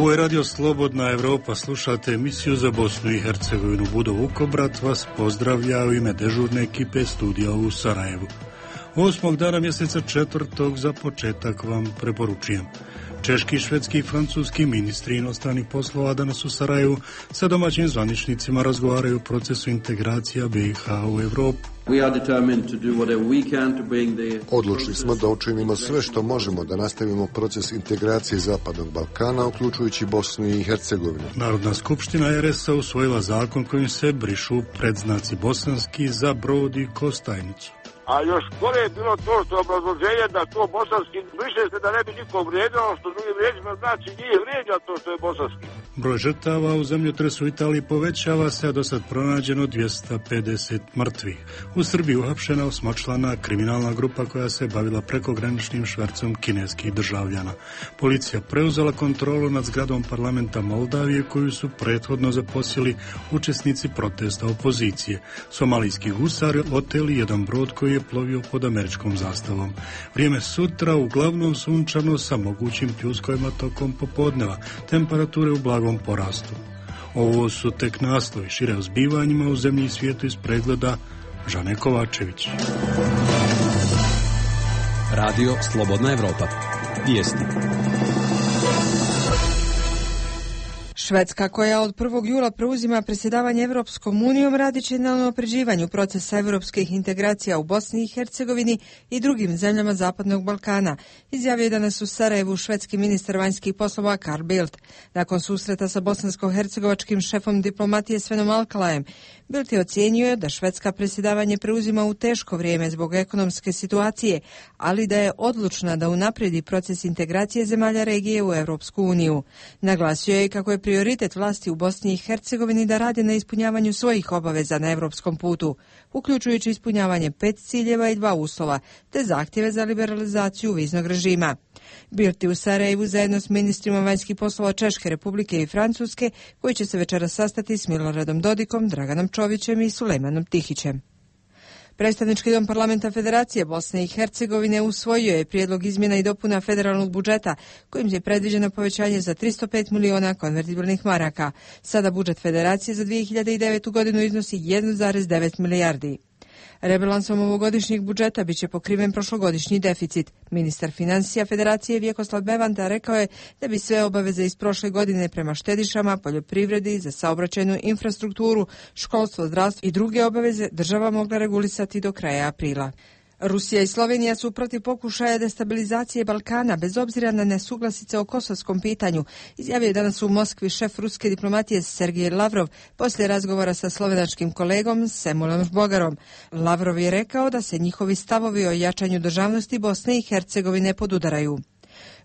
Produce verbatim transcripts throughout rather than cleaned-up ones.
Ovo je Radio Slobodna Evropa, slušate emisiju za Bosnu i Hercegovinu. Budo Vukobrat vas pozdravlja u ime dežurne ekipe studija u Sarajevu. Osmog dana mjeseca četvrtog za početak vam preporučujem. Češki, švedski i francuski ministri inostranih poslova danas u Sarajevu sa domaćim zvaničnicima razgovaraju o procesu integracija B i H u Evropu. Odlučili smo da učinimo sve što možemo da nastavimo proces integracije Zapadnog Balkana, uključujući Bosnu i Hercegovinu. Narodna skupština er es a usvojila zakon kojim se brišu predznaci bosanski za Brod i Kostajnicu. A još gore je bilo to što obrazloženje da to bosanski briše se da ne bi niko vrijeđao, što drugim riječima znači nije vrijeđa to što je bosanski. Broj žrtava u zemljotresu u Italiji povećava se, a do sad pronađeno dvjesto pedeset mrtvih. U Srbiji uhapšena osmočlana kriminalna grupa koja se bavila prekograničnim švercom kineskih državljana. Policija preuzela kontrolu nad zgradom parlamenta Moldavije koju su prethodno zaposjeli učesnici protesta opozicije. Somalijski gusari oteli jedan brod koji je plovio pod američkom zastavom. Vrijeme sutra uglavnom sunčano sa mogućim pljuskovima tokom popodneva. Temperature u blagom porastu. Ovo su tek naslovi, šire o zbivanjima u zemlji i svijetu iz pregleda Žane Kovačević. Radio Slobodna Evropa. Vijesti. Švedska, koja od prvog jula preuzima predsjedavanje Evropskom unijom, radit će na unapređivanju procesa evropskih integracija u Bosni i Hercegovini i drugim zemljama Zapadnog Balkana, izjavio je danas u Sarajevu švedski ministar vanjskih poslova Carl Bildt. Nakon susreta sa bosansko-hercegovačkim šefom diplomatije Svenom Alkalajem, Bildt je ocijenio da Švedska predsjedavanje preuzima u teško vrijeme zbog ekonomske situacije, ali da je odlučna da unaprijedi proces integracije zemalja regije u Evropsku uniju. Naglasio je kako je prioritet vlasti u Bosni i Hercegovini da radi na ispunjavanju svojih obaveza na evropskom putu, uključujući ispunjavanje pet ciljeva i dva uslova, te zahtjeve za liberalizaciju viznog režima. Bildt je u Sarajevu zajedno s ministrima vanjskih poslova Češke Republike i Francuske, koji će se večeras sastati s Miloradom Dodikom, Draganom Čovićem i Sulejmanom Tihićem. Predstavnički dom parlamenta Federacije Bosne i Hercegovine usvojio je prijedlog izmjena i dopuna federalnog budžeta, kojim je predviđeno povećanje za tristo pet miliona konvertibilnih maraka. Sada budžet Federacije za dvije hiljade devetu godinu iznosi jedan zarez devet milijardi. Rebalansom ovogodišnjeg budžeta bit će pokriven prošlogodišnji deficit. Ministar financija Federacije Vjekoslav Bevanda rekao je da bi sve obaveze iz prošle godine prema štedišama, poljoprivredi, za saobraćajnu infrastrukturu, školstvo, zdravstvo i druge obaveze država mogla regulisati do kraja aprila. Rusija i Slovenija su protiv pokušaja destabilizacije Balkana bez obzira na nesuglasice o kosovskom pitanju, izjavio je danas u Moskvi šef ruske diplomatije Sergej Lavrov poslije razgovora sa slovenačkim kolegom Semulom Žbogarom. Lavrov je rekao da se njihovi stavovi o jačanju državnosti Bosne i Hercegovine podudaraju.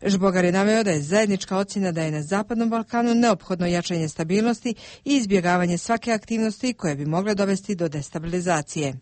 Žbogar je naveo da je zajednička ocjena da je na Zapadnom Balkanu neophodno jačanje stabilnosti i izbjegavanje svake aktivnosti koje bi mogle dovesti do destabilizacije.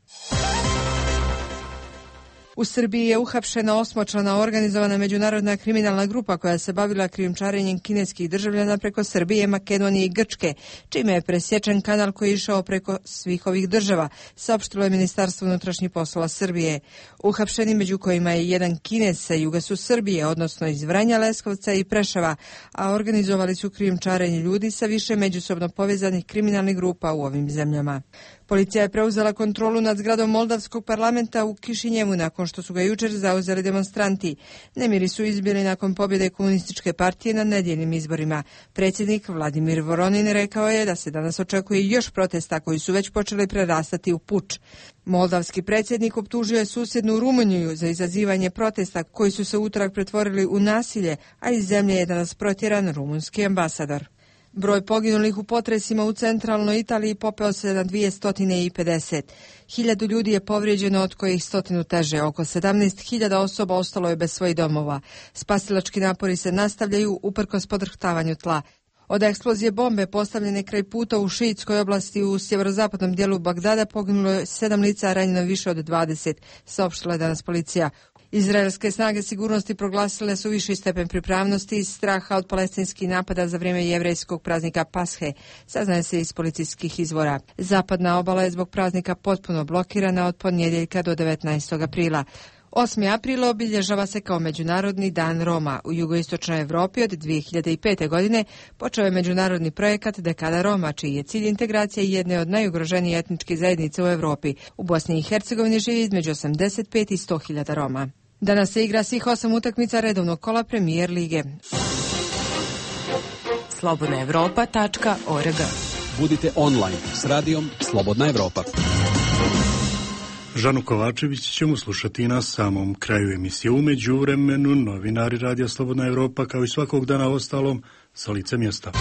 U Srbiji je uhapšena osmočlana organizovana međunarodna kriminalna grupa koja se bavila krijumčarenjem kineskih državljana preko Srbije, Makedonije i Grčke, čime je presječen kanal koji je išao preko svih ovih država, saopštilo je Ministarstvo unutrašnjih poslova Srbije. Uhapšeni, među kojima je jedan Kinez sa juga su Srbije, odnosno iz Vranja, Leskovca i Preševa, a organizovali su krijumčarenje ljudi sa više međusobno povezanih kriminalnih grupa u ovim zemljama. Policija je preuzela kontrolu nad zgradom Moldavskog parlamenta u Kišinjevu nakon što su ga jučer zauzeli demonstranti. Nemiri su izbili nakon pobjede komunističke partije na nedjeljnim izborima. Predsjednik Vladimir Voronin rekao je da se danas očekuje još protesta koji su već počeli prerastati u puč. Moldavski predsjednik optužio je susjednu Rumuniju za izazivanje protesta koji su se utorak pretvorili u nasilje, a iz zemlje je danas protjeran rumunski ambasador. Broj poginulih u potresima u centralnoj Italiji popeo se na dvjesto pedeset. Hiljadu ljudi je povrijeđeno, od kojih stotinu teže. Oko sedamnaest hiljada osoba ostalo je bez svojih domova. Spasilački napori se nastavljaju uprkos podrhtavanju tla. Od eksplozije bombe postavljene kraj puta u šiitskoj oblasti u sjeverozapadnom dijelu Bagdada poginulo je sedam lica, a ranjeno više od dvadeset, saopštila je danas policija. Izraelske snage sigurnosti proglasile su viši stepen pripravnosti iz straha od palestinskih napada za vrijeme jevrejskog praznika Pashe, saznaje se iz policijskih izvora. Zapadna obala je zbog praznika potpuno blokirana od ponedjeljka do devetnaestog aprila. osmi april obilježava se kao Međunarodni dan Roma. U jugoistočnoj Evropi od dvije hiljade pete. godine počeo je međunarodni projekat Dekada Roma, čiji je cilj integracija jedne od najugroženijih etničkih zajednica u Evropi. U Bosni i Hercegovini živi između osamdeset pet i sto hiljada Roma. Danas se igra svih osam utakmica redovnog kola Premijer lige. slobodna evropa tačka org. Budite online s radijom Slobodna Evropa. Žanu Kovačević ćemo slušati na samom kraju emisije. U međuvremenu novinari Radija Slobodna Evropa kao i svakog dana ostalom sa lice mjesta.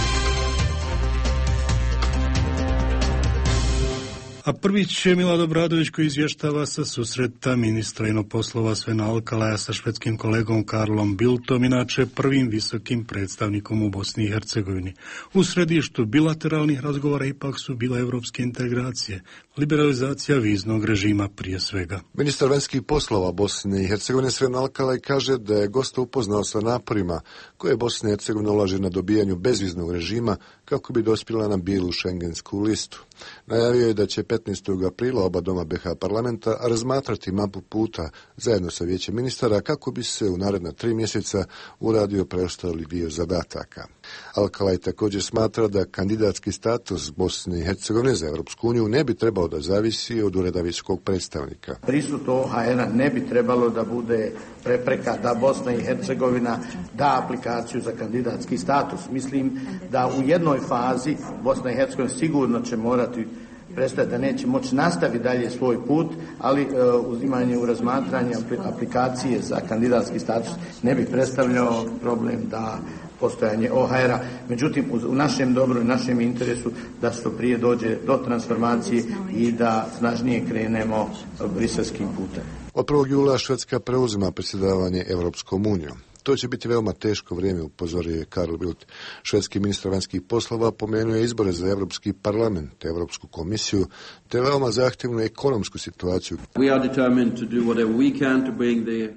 A prvi će Milad Obradović koji izvještava sa susreta ministra inoposlova Svena Alkalaja sa švedskim kolegom Karlom Bildtom, inače prvim visokim predstavnikom u Bosni i Hercegovini. U središtu bilateralnih razgovora ipak su bile evropske integracije, liberalizacija viznog režima prije svega. Ministar vanjskih poslova Bosne i Hercegovine Sven Alkalaj kaže da je gosta upoznao sa naporima koje Bosna i Hercegovina ulaže na dobijanju bezviznog režima kako bi dospjela na bijelu šengensku listu. Najavio je da će petnaestog aprila oba doma be ha parlamenta razmatrati mapu puta zajedno sa vijećem ministara kako bi se u naredna tri mjeseca uradio preostali dio zadataka. Alkalaj također smatra da kandidatski status Bosne i Hercegovine za Europsku uniju ne bi trebao da zavisi od ureda visokog predstavnika. Prisut o ha era ne bi trebalo da bude prepreka da Bosna i Hercegovina da aplikaciju za kandidatski status. Mislim da u jednoj fazi Bosna i Hercegovina sigurno će morati prestati, da neće moći nastaviti dalje svoj put, ali e, uzimanje u razmatranje aplikacije za kandidatski status ne bi predstavljao problem da postojanje o ha era. Međutim, u našem dobru i našem interesu da što prije dođe do transformacije i da snažnije krenemo briselskim putem. Od prvog jula Švedska preuzima predsjedavanje Europskom unijom. To će biti veoma teško vrijeme, upozorio je Karl Bildt. Švedski ministar vanjskih poslova pomenuo je izbore za Europski parlament, Europsku komisiju, te veoma zahtjevnu ekonomsku situaciju.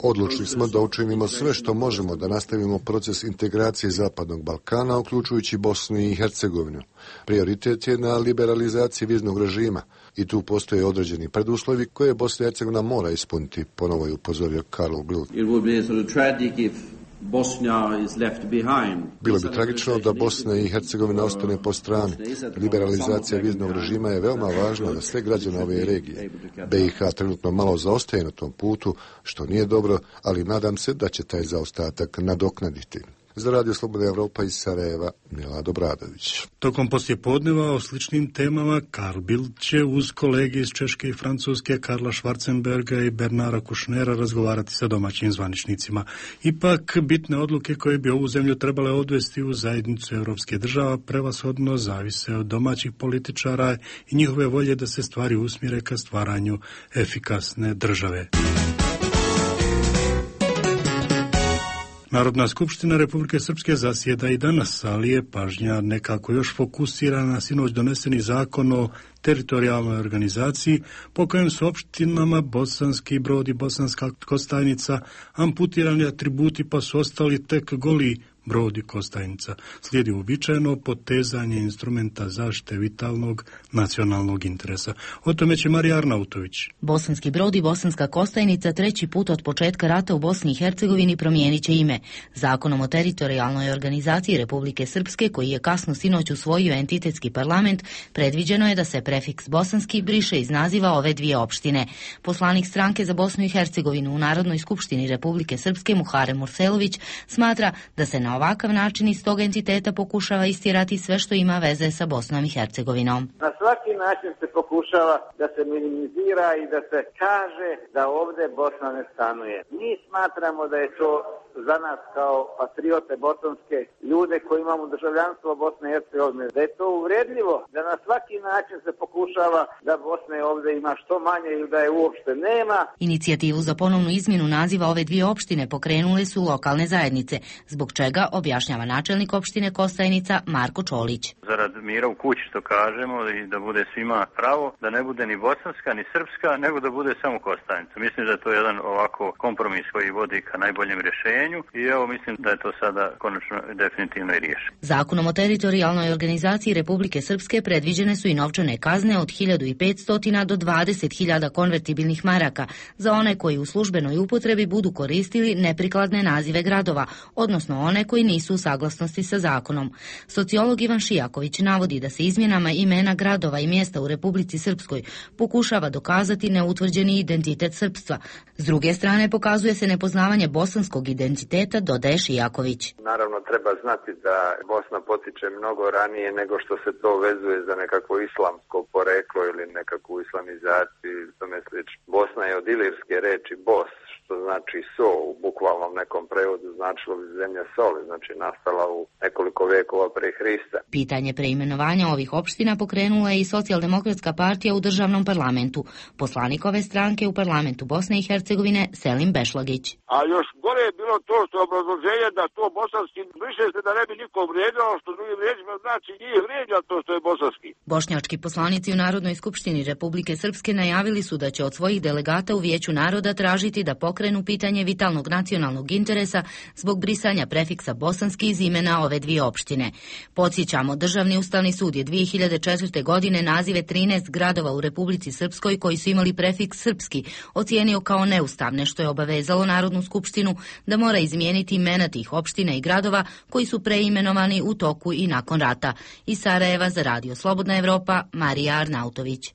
Odlučili smo da učinimo sve što možemo da nastavimo proces integracije Zapadnog Balkana, uključujući Bosnu i Hercegovinu. Prioritet je na liberalizaciji viznog režima i tu postoje određeni preduslovi koje Bosna i Hercegovina mora ispuniti, ponovo je upozorio Karl Bildt. Bilo bi tragično da Bosna i Hercegovina ostane po strani. Liberalizacija viznog režima je veoma važna za sve građane ove regije. be i ha trenutno malo zaostaje na tom putu, što nije dobro, ali nadam se da će taj zaostatak nadoknaditi. Za Radio Slobodna Evropa iz Sarajeva, Milad Obradović. Tokom poslijepodneva o sličnim temama Karl Bildt će uz kolege iz Češke i Francuske Karla Schwarzenberga i Bernara Kušnera razgovarati sa domaćim zvaničnicima. Ipak, bitne odluke koje bi ovu zemlju trebale odvesti u zajednicu evropske država prevashodno zavise od domaćih političara i njihove volje da se stvari usmjere ka stvaranju efikasne države. Narodna skupština Republike Srpske zasjeda i danas, ali je pažnja nekako još fokusirana na sinoć doneseni zakon o teritorijalnoj organizaciji po kojem su opštinama Bosanski Brod i Bosanska Kostajnica amputirani atributi pa su ostali tek goli Brod i Kostajnica. Slijedi uobičajeno potezanje instrumenta zaštite vitalnog nacionalnog interesa. O tome će Marija Arnautović. Bosanski Brod i Bosanska Kostajnica treći put od početka rata u Bosni i Hercegovini promijenit će ime. Zakonom o teritorijalnoj organizaciji Republike Srpske, koji je kasno sinoć usvojio entitetski parlament, predviđeno je da se prefiks bosanski briše iz naziva ove dvije opštine. Poslanik stranke za Bosnu i Hercegovinu u Narodnoj skupštini Republike Srpske Muharem Murselović smatra da se na ovakav način iz tog entiteta pokušava istirati sve što ima veze sa Bosnom i Hercegovinom. Na svaki način se pokušava da se minimizira i da se kaže da ovdje Bosna ne stanuje. Mi smatramo da je to za nas kao patriote bosanske ljude koji imamo državljanstvo Bosne i Hercegovine, da je to uvredljivo, da na svaki način se pokušava da Bosne ovdje ima što manje ili da je uopšte nema. Inicijativu za ponovnu izmjenu naziva ove dvije opštine pokrenule su lokalne zajednice, zbog čega objašnjava načelnik opštine Kostajnica Marko Čolić. Zarad mira u kući, što kažemo, i da bude svima pravo, da ne bude ni bosanska ni srpska, nego da bude samo Kostajnica. Mislim da je to jedan ovako kompromis koji vodi ka najboljem rješenju. rješenju i evo mislim da je to sada konačno definitivno i riješeno. Zakonom o teritorijalnoj organizaciji Republike Srpske predviđene su i novčane kazne od hiljadu petsto do dvadeset hiljada konvertibilnih maraka za one koji u službenoj upotrebi budu koristili neprikladne nazive gradova, odnosno one koji nisu u saglasnosti sa zakonom. Sociolog Ivan Šijaković navodi da se izmjenama imena gradova i mjesta u Republici Srpskoj pokušava dokazati neutvrđeni identitet srpstva. S druge strane pokazuje se nepoznavanje bosanskog identiteta, dodaje Šijaković. Naravno treba znati da Bosna potiče mnogo ranije nego što se to vezuje za nekakvo islamsko poreklo ili nekakvu islamizaciju ili tome slično. Bosna je od ilirske reči bos, što znači so, u bukvalnom nekom prevodu značilo bi zemlja soli, znači nastala u nekoliko vekova pre Hrista. Pitanje preimenovanja ovih opština pokrenula je i Socijaldemokratska partija u državnom parlamentu. Poslanik ove stranke u parlamentu Bosne i Hercegovine Selim Bešlagić. A još gore je bilo to što obrazloženje da to bosanski više se da ne bi niko vrijeđao, što drugim riječima znači njih vrijeđa to što je bosanski. Bošnjački poslanici u Narodnoj skupštini Republike Srpske najavili su da će od svojih delegata u Vijeću naroda tražiti da pokrenu pitanje vitalnog nacionalnog interesa zbog brisanja prefiksa bosanski iz imena ove dvije opštine. Podsjećamo, Državni ustavni sud je dvije hiljade četvrte. godine nazive trinaest gradova u Republici Srpskoj koji su imali prefiks srpski ocijenio kao neustavne, što je obavezalo Narodnu skupštinu da mora izmijeniti imena tih opština i gradova koji su preimenovani u toku i nakon rata. Iz Sarajeva za Radio Slobodna Evropa, Marija Arnautović.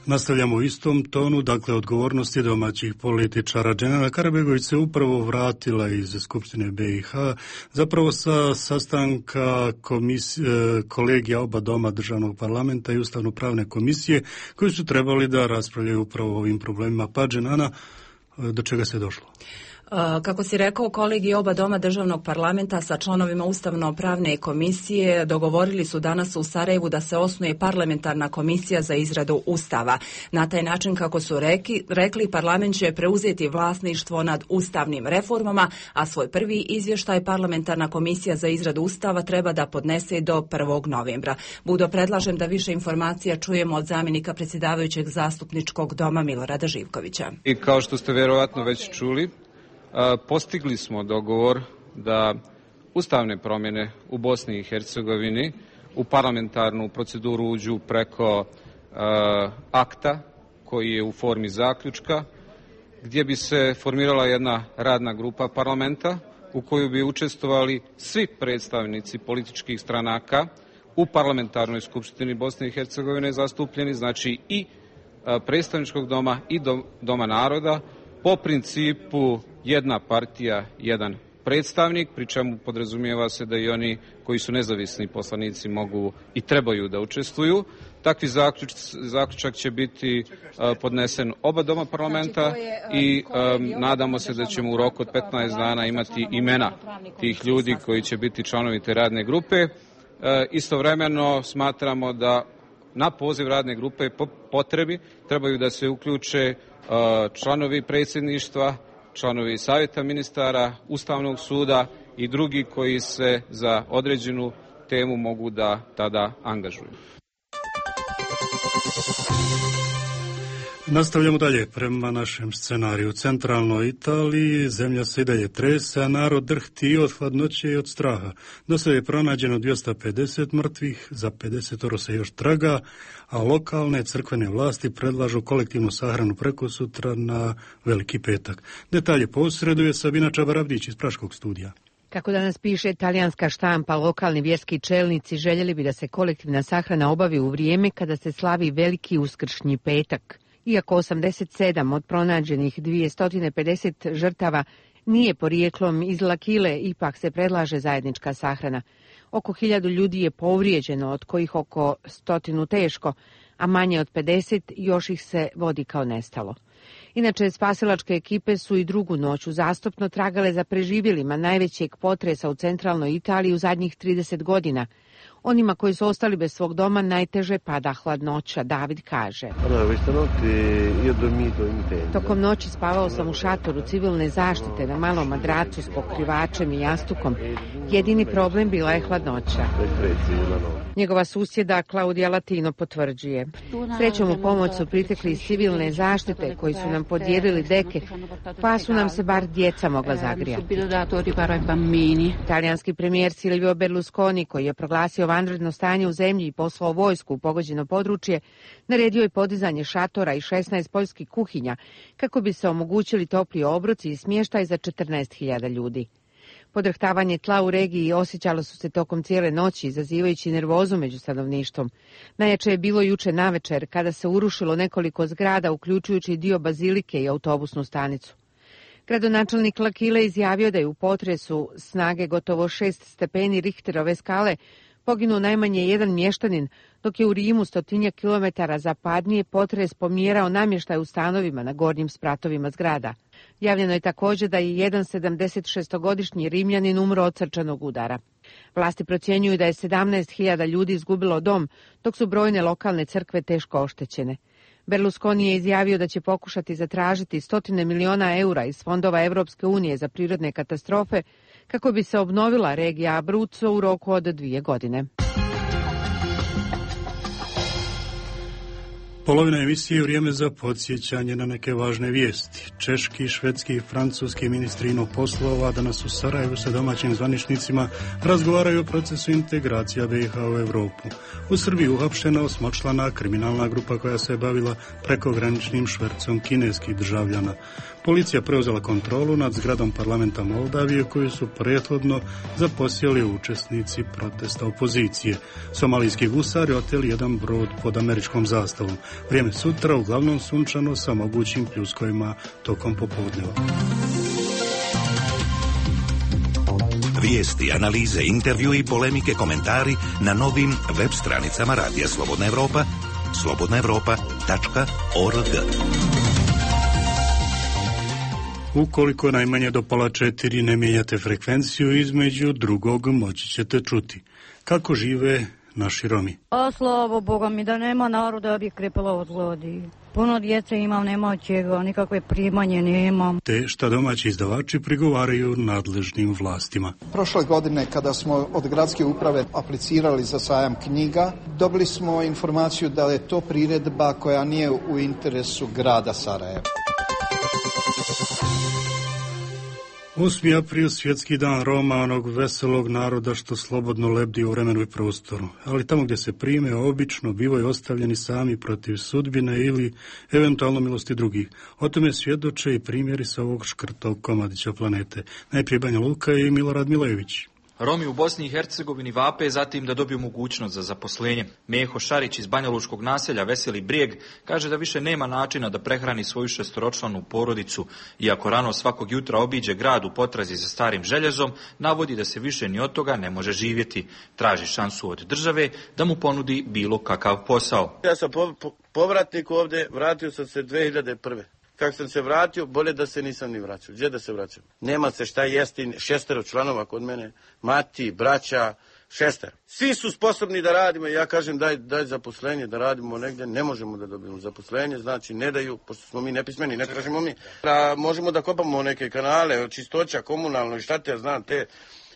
Nastavljamo u istom tonu, dakle odgovornosti domaćih političara. Dženana Karabegović se upravo vratila iz Skupštine B i H, zapravo sa sastanka komisije, kolegija oba doma državnog parlamenta i ustavno-pravne komisije koji su trebali da raspravljaju upravo o ovim problemima. Pa Dženana, do čega se došlo? Kako si rekao, kolegiji oba doma državnog parlamenta sa članovima Ustavno-pravne komisije dogovorili su danas u Sarajevu da se osnuje parlamentarna komisija za izradu Ustava. Na taj način, kako su reki, rekli, parlament će preuzeti vlasništvo nad ustavnim reformama, a svoj prvi izvještaj parlamentarna komisija za izradu Ustava treba da podnese do prvog novembra. Budo, predlažem da više informacija čujemo od zamjenika predsjedavajućeg zastupničkog doma Milorada Živkovića. I kao što ste vjerovatno već čuli, postigli smo dogovor da ustavne promjene u Bosni i Hercegovini u parlamentarnu proceduru uđu preko uh, akta koji je u formi zaključka, gdje bi se formirala jedna radna grupa parlamenta u koju bi učestvovali svi predstavnici političkih stranaka u parlamentarnoj skupštini Bosne i Hercegovine zastupljeni, znači i uh, predstavničkog doma i do, doma naroda, po principu jedna partija, jedan predstavnik, pri čemu podrazumijeva se da i oni koji su nezavisni poslanici mogu i trebaju da učestvuju. Takvi zaključ, zaključak će biti uh, podnesen oba doma parlamenta znači, je, uh, i um, nadamo se da ćemo u roku od petnaest dana imati imena tih ljudi koji će biti članovi te radne grupe. Uh, istovremeno smatramo da na poziv radne grupe po potrebi trebaju da se uključe uh, članovi predsjedništva, članovi savjeta ministara, Ustavnog suda i drugi koji se za određenu temu mogu da tada angažuju. Nastavljamo dalje prema našem scenariju. U centralnoj Italiji zemlja se i dalje trese, a narod drhti i od hladnoće i od straha. Do sada je pronađeno dvjesto pedeset mrtvih, za pedeset se još traga, a lokalne crkvene vlasti predlažu kolektivnu sahranu prekosutra na Veliki petak. Detalje posreduje Sabina Čabarabdić iz Praškog studija. Kako danas piše talijanska štampa, lokalni vjerski čelnici željeli bi da se kolektivna sahrana obavi u vrijeme kada se slavi Veliki uskršnji petak. Iako osamdeset sedam od pronađenih dvjesto pedeset žrtava nije porijeklom iz Lakile, ipak se predlaže zajednička sahrana. Oko hiljadu ljudi je povrijeđeno, od kojih oko stotinu teško, a manje od pedeset još ih se vodi kao nestalo. Inače, spasilačke ekipe su i drugu noć uzastopno tragale za preživjelima najvećeg potresa u centralnoj Italiji u zadnjih trideset godina. Onima koji su ostali bez svog doma najteže pada hladnoća, David kaže. Tokom noći spavao sam u šatoru civilne zaštite na malom madracu s pokrivačem i jastukom. Jedini problem bila je hladnoća. Njegova susjeda Klaudija Latino potvrđuje. Srećom u pomoć su pritekli iz civilne zaštite koji su nam podijelili deke, pa su nam se bar djeca mogla zagrijati. Italijanski premijer Silvio Berlusconi, koji je proglasio vanredno stanje u zemlji i poslao vojsku u pogođeno područje, naredio je podizanje šatora i šesnaest poljskih kuhinja kako bi se omogućili topli obroci i smještaj za četrnaest hiljada ljudi. Podrhtavanje tla u regiji osjećalo su se tokom cijele noći, izazivajući nervozu među stanovništvom. Najjače je bilo juče navečer, kada se urušilo nekoliko zgrada, uključujući dio bazilike i autobusnu stanicu. Gradonačelnik L'Aquila izjavio da je u potresu snage gotovo šest stepeni Richterove skale poginuo najmanje jedan mještanin, dok je u Rimu stotinjak kilometara zapadnije potres pomjerao namještaj u stanovima na gornjim spratovima zgrada. Javljeno je također da je jedan sedamdesetšestogodišnji Rimljanin umro od srčanog udara. Vlasti procjenjuju da je sedamnaest hiljada ljudi izgubilo dom, dok su brojne lokalne crkve teško oštećene. Berlusconi je izjavio da će pokušati zatražiti stotine miliona eura iz fondova Europske unije za prirodne katastrofe kako bi se obnovila regija Abruzzo u roku od dvije godine. Polovina emisije je vrijeme za podsjećanje na neke važne vijesti. Češki, švedski i francuski ministri ino poslova danas u Sarajevu sa domaćim zvaničnicima razgovaraju o procesu integracija B i H u Europu. U Srbiji uhapšena osmočlana kriminalna grupa koja se je bavila prekograničnim švercom kineskih državljana. Policija preuzela kontrolu nad zgradom parlamenta Moldavije koju su prethodno zaposjeli učesnici protesta opozicije. Somalijski gusari oteli jedan brod pod američkom zastavom. Vrijeme sutra uglavnom sunčano sa mogućim pljuskovima tokom popodneva. Vijesti, analize, intervju i polemike, komentari na novim web stranicama Radija Slobodna Evropa, slobodna evropa tačka org. Ukoliko najmanje do pola četiri ne mijenjate frekvenciju, između drugog moći ćete čuti kako žive naši Romi. A slavo Boga mi da nema naroda, ja bih krepala od gladi. Puno djece imam, nema od čega, nikakve primanje nemam. Te šta domaći izdavači prigovaraju nadležnim vlastima. Prošle godine kada smo od gradske uprave aplicirali za sajam knjiga, dobili smo informaciju da je to priredba koja nije u interesu grada Sarajeva. osmi april, svjetski dan Roma, onog veselog naroda što slobodno lebdi u vremenu i prostoru. Ali tamo gdje se prime, obično bivaju ostavljeni sami protiv sudbine ili eventualno milosti drugih. O tome svjedoče i primjeri sa ovog škrtog komadića planete. Najprije Banja Luka i Milorad Milejević. Romi u Bosni i Hercegovini vape zatim da dobiju mogućnost za zaposlenje. Meho Šarić iz banjalučkog naselja Veseli Brijeg kaže da više nema načina da prehrani svoju šestoročlanu porodicu. Iako rano svakog jutra obiđe grad u potrazi za starim željezom, navodi da se više ni od toga ne može živjeti. Traži šansu od države da mu ponudi bilo kakav posao. Ja sam po, po, povratnik ovdje, vratio sam se dvije hiljade prve. Kako sam se vratio, bolje da se nisam ni vraćao. Gdje da se vraćam? Nema se šta jesti, šestero članova kod mene, mati, braća, šestero. Svi su sposobni da radimo, ja kažem daj, daj zaposlenje, da radimo negdje, ne možemo da dobijemo zaposlenje, znači ne daju, pošto smo mi nepismeni, ne tražimo mi. Da možemo da kopamo neke kanale, čistoća, komunalno i šta te znam, te,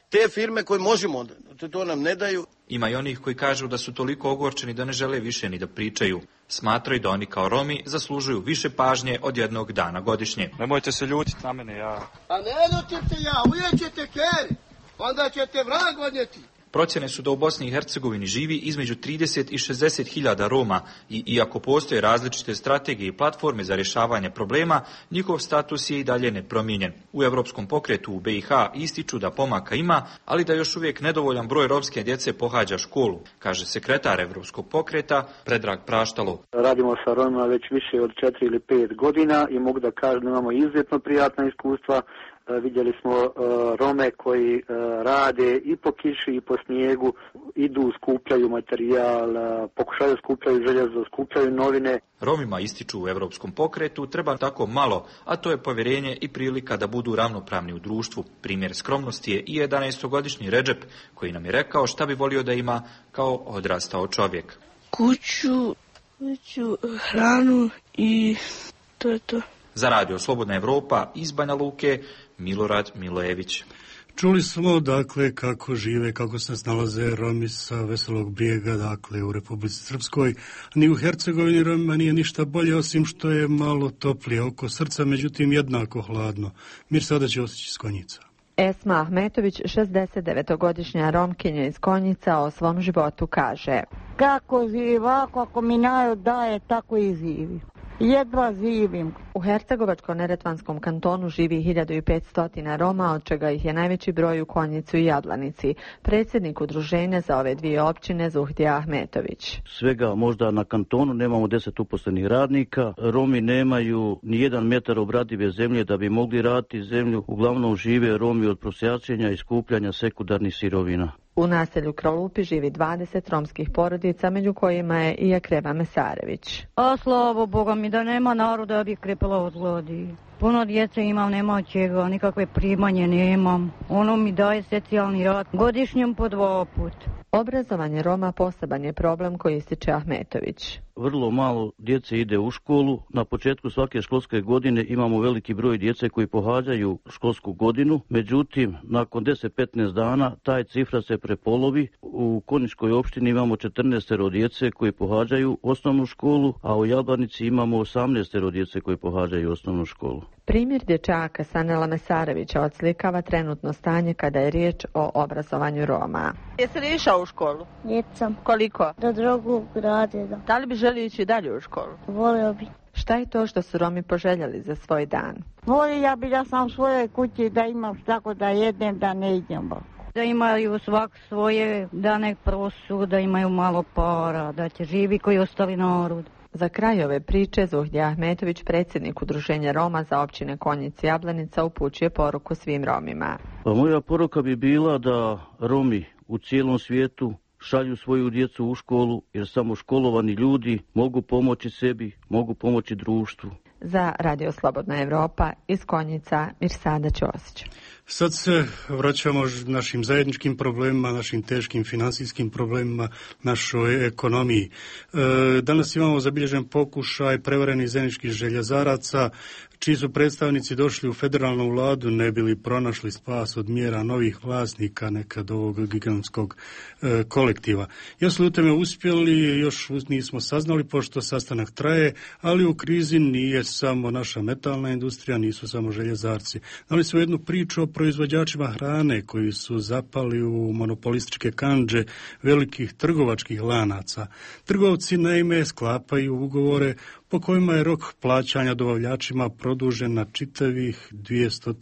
te firme koje možemo, to, to nam ne daju. Ima i onih koji kažu da su toliko ogorčeni da ne žele više ni da pričaju. Smatraju da oni kao Romi zaslužuju više pažnje od jednog dana godišnje. Nemojte se ljutiti na mene, ja... A ne ljutite ja, uvijek ćete keri, onda ćete vrag odnijeti. Procjene su da u Bosni i Hercegovini živi između trideset i šezdeset hiljada Roma i iako postoje različite strategije i platforme za rješavanje problema, njihov status je i dalje nepromijenjen. U Europskom pokretu u B i H ističu da pomaka ima, ali da još uvijek nedovoljan broj romske djece pohađa školu, kaže sekretar Europskog pokreta Predrag Praštalo. Radimo sa Romima već više od četiri ili pet godina i mogu da kažem da imamo izuzetno prijatna iskustva. Vidjeli smo Rome koji rade i po kiši i po snijegu, idu, skupljaju materijal, pokušaju skupljaju željezo, skupljaju novine. Romima, ističu u Europskom pokretu, treba tako malo, a to je povjerenje i prilika da budu ravnopravni u društvu. Primjer skromnosti je i jedanaestogodišnji Redžep, koji nam je rekao šta bi volio da ima kao odrastao čovjek. Kuću, kuću, hranu i to je to. Za Radio Slobodna Evropa iz Banja Luke, Milorad Milojević. Čuli smo, dakle, kako žive, kako se snalaze Romi sa Veselog Brijega, dakle, u Republici Srpskoj. Ni u Hercegovini Romima nije ništa bolje, osim što je malo toplije oko srca, međutim jednako hladno. Mirsada Ćosić iz Konjica. Esma Ahmetović, šezdesetdevetogodišnja Romkinja iz Konjica, o svom životu kaže: kako živi ovako, ako mi narod daje, tako i živi. Jedva živim. U Hercegovačko-neretvanskom kantonu živi hiljadu petsto Roma, od čega ih je najveći broj u Konjicu i Jadlanici. Predsjednik udruženja za ove dvije općine Zuhdija Ahmetović. Svega možda na kantonu nemamo deset uposlenih radnika. Romi nemaju ni jedan metar obradive zemlje da bi mogli raditi zemlju. Uglavnom žive Romi od prosjačenja i skupljanja sekundarnih sirovina. U naselju Krolupi živi dvadeset romskih porodica, među kojima je i Akrema Mesarević. A slavo Boga mi da nema naroda, ja bih krepala od gladi. Puno djece imam, nema od čega, nikakve primanje nemam. Ono mi daje socijalni rad godišnjem po dva put. Obrazovanje Roma poseban je problem koji ističe Ahmetović. Vrlo malo djece ide u školu. Na početku svake školske godine imamo veliki broj djece koji pohađaju školsku godinu. Međutim, nakon deset do petnaest dana taj cifra se prepolovi. U Konjičkoj opštini imamo četrnaest djece koji pohađaju osnovnu školu, a u Jablanici imamo osamnaest djece koji pohađaju osnovnu školu. Primjer dječaka Sanela Mesarevića odslikava trenutno stanje kada je riječ o obrazovanju Roma. Jesi li išao u školu? Jesam. Koliko? Do drugog razreda. Da li bi želio ići dalje u školu? Volio bi. Šta je to što su Romi poželjeli za svoj dan? Volio bi da sam u svojoj kući, da imam tako da jedem, da ne idem. Da imaju svak svoje, da nek prosu, da imaju malo para, da će živi koji ostali narod. Za kraj ove priče Zuhdija Ahmetović, predsjednik udruženja Roma za općine Konjic i Jablanica, upućuje poruku svim Romima. Pa moja poruka bi bila da Romi u cijelom svijetu šalju svoju djecu u školu, jer samo školovani ljudi mogu pomoći sebi, mogu pomoći društvu. Za Radio Slobodna Evropa iz Konjica, Mirsada Ćosić. Sad se vraćamo našim zajedničkim problemima, našim teškim financijskim problemima, našoj ekonomiji. E, danas imamo zabilježen pokušaj prevarenih zajedničkih željezaraca, čiji su predstavnici došli u federalnu vladu ne bili pronašli spas od mjera novih vlasnika nekad ovog gigantskog e, kolektiva. Još su u tome uspjeli, još nismo saznali pošto sastanak traje, ali u krizi nije samo naša metalna industrija, nisu samo željezarci. Dali su jednu priču o proizvođačima hrane koji su zapali u monopolističke kandže velikih trgovačkih lanaca. Trgovci naime sklapaju ugovore po kojima je rok plaćanja dobavljačima produžen na čitavih dvjesto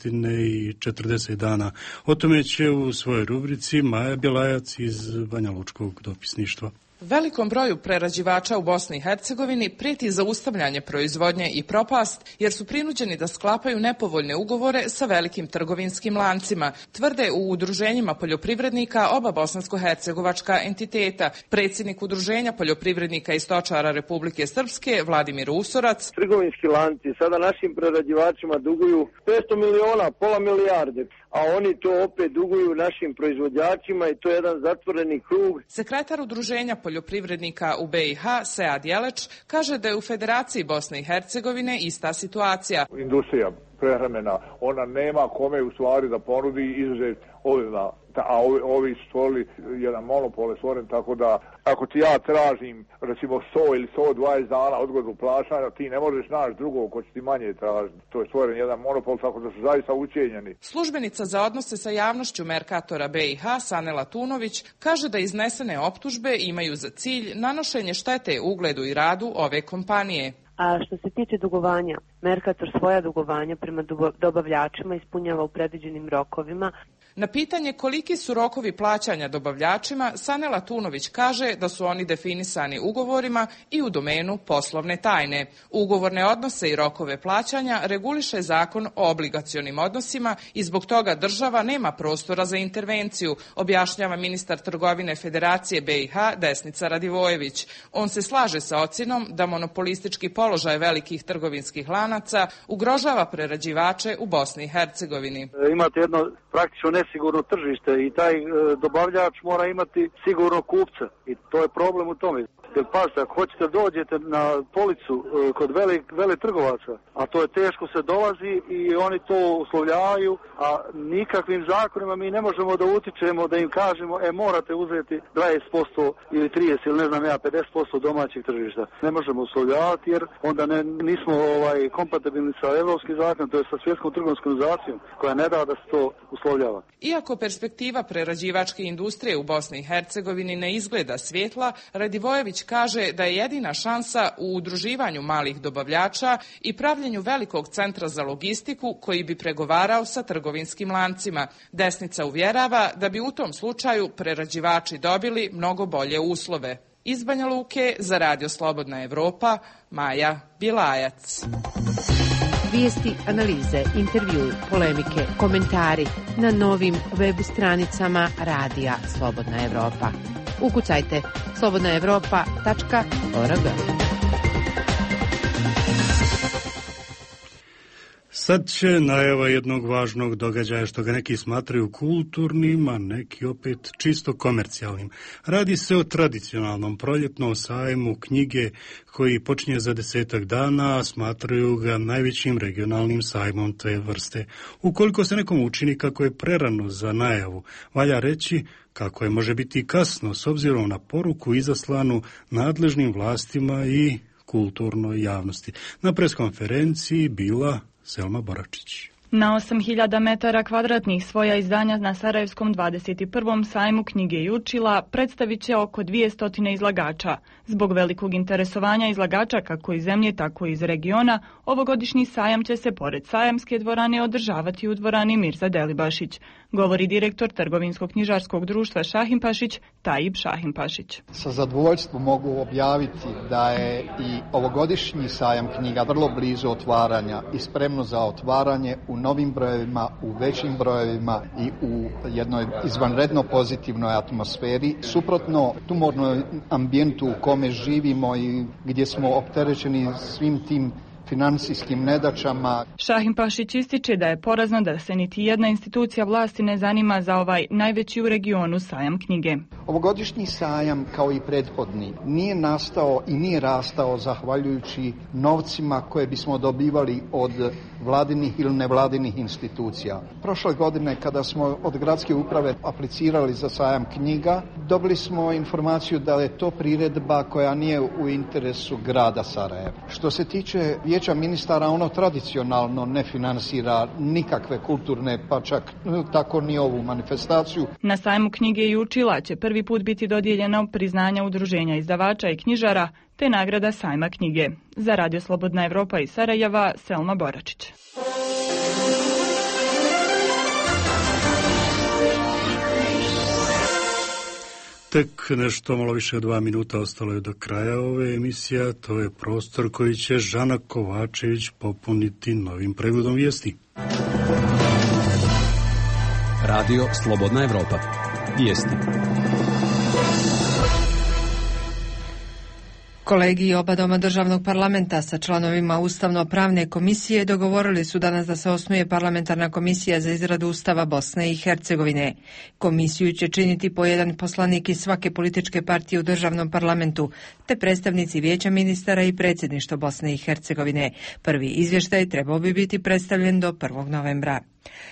četrdeset dana. O tome će u svojoj rubrici Maja Bjelajac iz Banja Lučkog dopisništva. Velikom broju prerađivača u Bosni i Hercegovini prijeti zaustavljanje proizvodnje i propast, jer su prinuđeni da sklapaju nepovoljne ugovore sa velikim trgovinskim lancima, tvrde u udruženjima poljoprivrednika oba bosansko-hercegovačka entiteta. Predsjednik udruženja poljoprivrednika i stočara Republike Srpske, Vladimir Usorac. Trgovinski lanci sada našim prerađivačima duguju petsto miliona, pola milijarde, a oni to opet duguju našim proizvođačima i to je jedan zatvoreni krug. Sekretar udruženja poljoprivrednika u B i H, Sead Jeleć, kaže da je u Federaciji Bosne i Hercegovine ista situacija. Industrija prehrambena, ona nema kome u stvari da ponudi izuzet ovima, a ovi, ovi su stvorili jedan monopol je stvoren, tako da ako ti ja tražim recimo sto ili sto dvadeset dana odgodu plaćanja, ti ne možeš naći drugog ko će ti manje tražiti. To je stvoren jedan monopol, tako da su zaista učenjeni. Službenica za odnose sa javnošću Merkatora B i H, Sanela Tunović, kaže da iznesene optužbe imaju za cilj nanošenje štete ugledu i radu ove kompanije. A što se tiče dugovanja, Merkator svoja dugovanja prema dobavljačima ispunjava u predviđenim rokovima. Na pitanje koliki su rokovi plaćanja dobavljačima, Sanela Tunović kaže da su oni definisani ugovorima i u domenu poslovne tajne. Ugovorne odnose i rokove plaćanja reguliše Zakon o obligacionim odnosima i zbog toga država nema prostora za intervenciju, objašnjava ministar trgovine Federacije B i H Desnica Radivojević. On se slaže sa ocjenom da monopolistički položaj velikih trgovinskih lanaca ugrožava prerađivače u Bosni i Hercegovini. Imate jedno praktično nesigurno tržište i taj e, dobavljač mora imati sigurno kupca i to je problem u tome. Jer pašte, ako hoćete dođete na policu e, kod velik, vele trgovaca, a to je teško se dolazi i oni to uslovljavaju, a nikakvim zakonima mi ne možemo da utičemo, da im kažemo, e morate uzeti dvadeset posto ili trideset ili ne znam ja, pedeset posto domaćih tržišta. Ne možemo uslovljavati jer onda ne, nismo ovaj, kompatibilni sa evropskim zakonom, to je sa svjetskom trgovinskom organizacijom koja ne da da se to uslovljava. Iako perspektiva prerađivačke industrije u Bosni i Hercegovini ne izgleda svjetla, Radivojević kaže da je jedina šansa u udruživanju malih dobavljača i pravljenju velikog centra za logistiku koji bi pregovarao sa trgovinskim lancima. Desnica uvjerava da bi u tom slučaju prerađivači dobili mnogo bolje uslove. Iz Banja Luke za Radio Slobodna Evropa, Maja Bilajac. Vijesti, analize, intervjui, polemike, komentari na novim web stranicama Radija Slobodna Evropa. Ukucajte slobodna evropa tačka org. Sad će najava jednog važnog događaja što ga neki smatraju kulturnim, a neki opet čisto komercijalnim. Radi se o tradicionalnom proljetnom sajmu knjige koji počinje za desetak dana, a smatraju ga najvećim regionalnim sajmom te vrste. Ukoliko se nekom učini kako je prerano za najavu, valja reći kako je može biti kasno s obzirom na poruku izaslanu nadležnim vlastima i kulturnoj javnosti. Na preskonferenciji bila Selma Boračić. Na osam hiljada metara kvadratnih svoja izdanja na Sarajevskom dvadeset prvom sajmu knjige i učila predstavit će oko dvjesto izlagača. Zbog velikog interesovanja izlagača kako iz zemlje, tako i iz regiona, ovogodišnji sajam će se pored sajamske dvorane održavati u dvorani Mirza Delibašić, govori direktor Trgovinsko-knjižarskog društva Šahimpašić, Tajib Šahimpašić. Sa zadovoljstvom mogu objaviti da je i ovogodišnji sajam knjiga vrlo blizu otvaranja i spremno za otvaranje u novim brojevima, u većim brojevima i u jednoj izvanredno pozitivnoj atmosferi. Suprotno tumornom ambijentu u kome živimo i gdje smo opterećeni svim tim financijskim nedaćama. Šahimpašić ističe da je porazno da se niti jedna institucija vlasti ne zanima za ovaj najveći u regionu sajam knjige. Ovogodišnji sajam, kao i prethodni, nije nastao i nije rastao zahvaljujući novcima koje bismo dobivali od vladinih ili nevladinih institucija. Prošle godine, kada smo od gradske uprave aplicirali za sajam knjiga, dobili smo informaciju da je to priredba koja nije u interesu grada Sarajeva. Što se tiče Vijeća ministara, ono tradicionalno ne finansira nikakve kulturne, pa čak tako ni ovu manifestaciju. Na sajmu knjige i učila će prvi put biti dodijeljeno priznanja udruženja izdavača i knjižara te nagrada sajma knjige. Za Radio Slobodna Evropa iz Sarajeva, Selma Boračić. Tek nešto malo više od dva minuta ostalo je do kraja ove emisije, to je prostor koji će Žana Kovačević popuniti novim pregledom vijesti. Radio Slobodna Evropa. Vijesti. Kolegi oba doma državnog parlamenta sa članovima Ustavno-pravne komisije dogovorili su danas da se osnuje parlamentarna komisija za izradu Ustava Bosne i Hercegovine. Komisiju će činiti po jedan poslanik iz svake političke partije u državnom parlamentu, te predstavnici Vijeća ministara i predsjedništvo Bosne i Hercegovine. Prvi izvještaj trebao bi biti predstavljen do prvog novembra.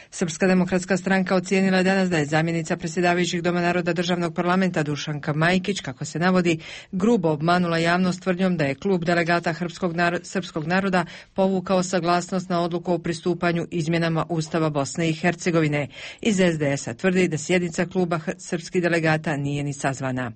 Srpska demokratska stranka ocijenila je danas da je zamjenica predsjedavajućih Doma naroda državnog parlamenta Dušanka Majkić, kako se navodi, grubo obmanula javnost tvrdnjom da je klub delegata srpskog naroda povukao saglasnost na odluku o pristupanju izmjenama Ustava Bosne i Hercegovine. Iz es de esa tvrdi da sjednica kluba srpskih delegata nije ni sazvana.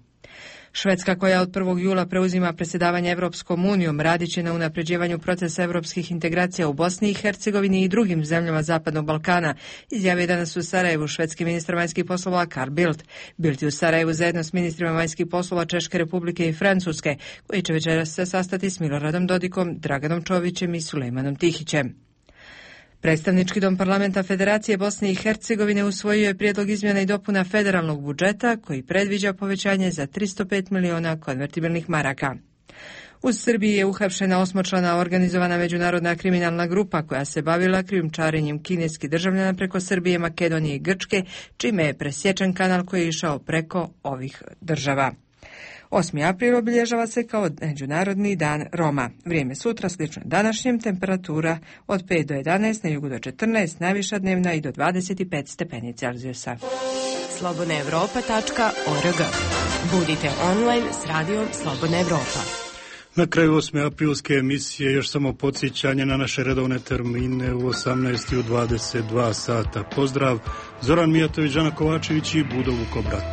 Švedska, koja od prvog jula preuzima predsjedavanje Evropskom unijom, radit će na unapređivanju procesa evropskih integracija u Bosni i Hercegovini i drugim zemljama Zapadnog Balkana, izjavio je danas u Sarajevu švedski ministar vanjskih poslova Carl Bildt. Bildt je u Sarajevu zajedno s ministrima vanjskih poslova Češke Republike i Francuske, koji će večeras se sastati s Miloradom Dodikom, Draganom Čovićem i Sulejmanom Tihićem. Predstavnički dom parlamenta Federacije Bosne i Hercegovine usvojio je prijedlog izmjena i dopuna federalnog budžeta koji predviđa povećanje za tristo pet miliona konvertibilnih maraka. U Srbiji je uhapšena osmočlana organizovana međunarodna kriminalna grupa koja se bavila krijumčarenjem kineskih državljana preko Srbije, Makedonije i Grčke, čime je presječen kanal koji je išao preko ovih država. osmi april obilježava se kao Međunarodni dan Roma. Vrijeme sutra slično današnjem, temperatura od pet do jedanaest, na jugu do četrnaest, najviša dnevna i do dvadeset pet stepeni Celzijusa. slobodna evropa tačka org. Budite online s radijom Slobodna Evropa. Na kraju osme aprilske emisije još samo podsjećanje na naše redovne termine u osamnaest i u dvadeset dva sata. Pozdrav, Zoran Mijatović, Žana Kovačević i Budo Vukobrat.